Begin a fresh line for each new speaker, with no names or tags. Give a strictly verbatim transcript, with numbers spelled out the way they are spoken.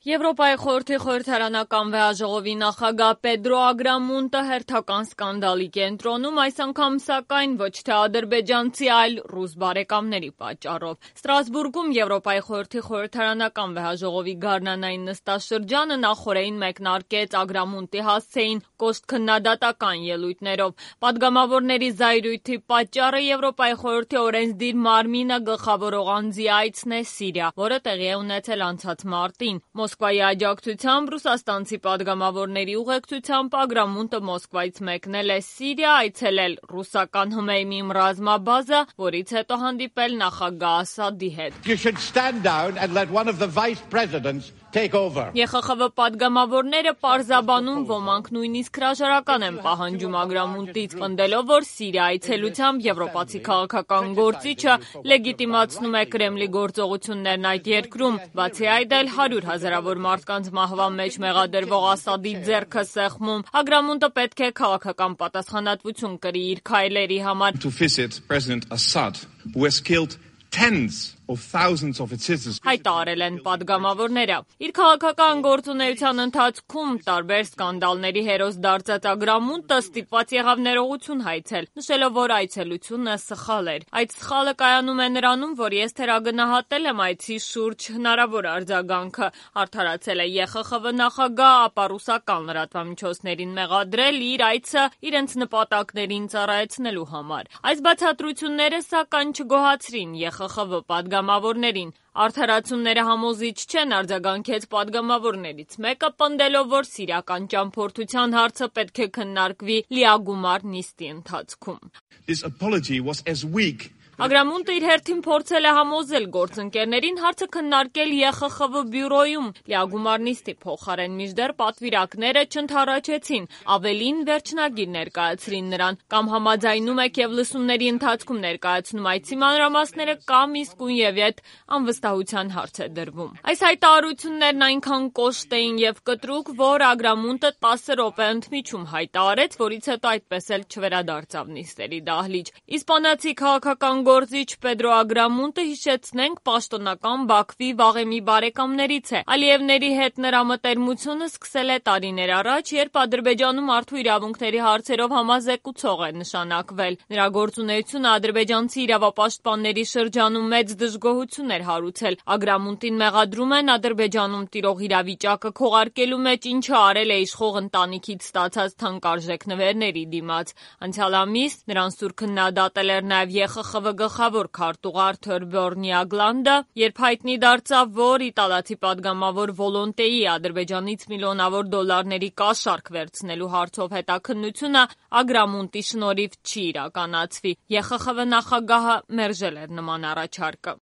Եվրոպայի խորհրդի խորհրդարանական վեհաժողովի նախագահ Պեդրո Ագրամունտը հերթական սկանդալի կենտրոնում, այս անգամ սակայն ոչ թե ադրբեջանցի, այլ ռուս բարեկամների պատճառով։ Ստրասբուրգում Եվրոպայի խորհրդի խորհրդարանական վեհաժողովի գարնանային նստաշրջանը նախօրեին մեկնարկեց Ագրամունտի հասցեին կոշտ քննադատական ելույթներով։ Պատգամավորների զայրույթի պատճառը Եվրոպայի խորհրդի օրենսդիր մարմինը գլխավորող անձի այցն է Սիրիա, որը տեղի է ունեցել անցած մարտին։ Մոսկվայի աջակցությամբ ռուսաստանցի պատգամավորների ուղեկցությամբ Ագրամունտը Մոսկվայից մեկնել է Սիրիա, այցելել ռուսական Հմեյմիմ ռազմաբազա, որից հետո հանդիպել նախագահ Ասադի հետ։ Է Խ Խ V պատգամավորները պարզաբանում, ոմանք նույնիսկ հրաժարական են պահանջում Ագրամունտից, պնդելով, որ Սիրիա այցելությամբ եվրոպացի քաղաքական գործիչը լեգիտիմացնում է Կրեմլի գործողություններն այդ երկրում։ Բացի այդ, էլ հարյուր հազարավոր մարդկանց մահվան մեջ մեղադրվող Ասադի ձեռքը սեղմում։ Ագրամունտը պետք է քաղաքական պատասխանատվություն կրի իր քայլերի համար։ Հայտարարել են պատգամավորները։ Իր քաղաքական գործունեության ընթացքում տարբեր սկանդալների հերոս դարձած Ագրամունտը ստիպված եղավ ներողություն հայցել, նշելով, որ այցելությունը սխալ էր։ Այդ սխալը կայանում է նրանում, որ ես թերագնահատել եմ այցի շուրջ հնարավոր արձագանքը, արդարացել է Է Խ Խ V նախագահ, ապա ռուսական լրատվամիջոցներին մեղադրել իր այցը իրենց նպատակներին ծառայեցնելու համար։ Այս բացատրությունները սակայն չգոհացրին Է Խ Խ V պատգամավորներին։ Արդարացումները համոզիչ չեն, արձագանքեց պատգամավորներից մեկը, պնդելով, որ սիրիական ճամփորդության հարցը պետք է քննարկվի լիագումար նիստի ընթացքում։ Ագրամունտը իր հերթին փորձել է համոզել գործընկերներին հարցը քննարկել Է Խ Խ V բյուրոյում լիագումար նիստի փոխարեն, մինչդեռ պատվիրակները չընդառաջեցին, ավելին վերջնագիր ներկայացրին նրան, կամ համաձայնում եք և լսումների ընթացքում ներկայացնում այցի մանրամասները, կամ իսկույն ետ անվստահության հարց է դրվում։ Այս հայտարարություններն այնքան կոշտ էին և կտրուկ, որ Ագրամունտը տասը րոպե ընդմիջում հայտարարեց, որից հետո այդպես էլ չվերադարձավ նիստերի դահլիճ։ Իսպանացի քաղաքական գործիչ Պեդրո Ագրամունտը, հիշեցնենք, պաշտոնական Բաքվի վաղեմի բարեկամներից է։ Ալիևների հետ նրա մտերմությունը սկսել է տարիներ առաջ, երբ Ադրբեջանում մարդու իրավունքների հարցերով համազեկուցող է նշանակվել։ Նրա գործունեությունը ադրբեջանցի իրավապաշտպանների շրջանում մեծ դժգոհություն էր հարուցել։ Ագրամունտին մեղադրում են Ադրբեջանում տիրող իրավիճակը քողարկելու մեջ, ինչը արել է իշխող ընտանիքից ստացած թանկարժեք նվերների դիմաց։ Անցյալ ամիս նրան սուր քննադատել էր նաև Է Խ Խ V գլխավոր քարտուղար Թորբյորն Յագլանդը, երբ հայտնի դարձավ, որ իտալացի պատգամավոր Վոլոնտեի Ադրբեջանից միլիոնավոր դոլարների կաշառք վերցնելու հարցով հետաքննությունը Ագրամունտի շնորհիվ չի իրականացվի։ Է Խ Խ V նախագահը մերժել էր նման առաջարկը։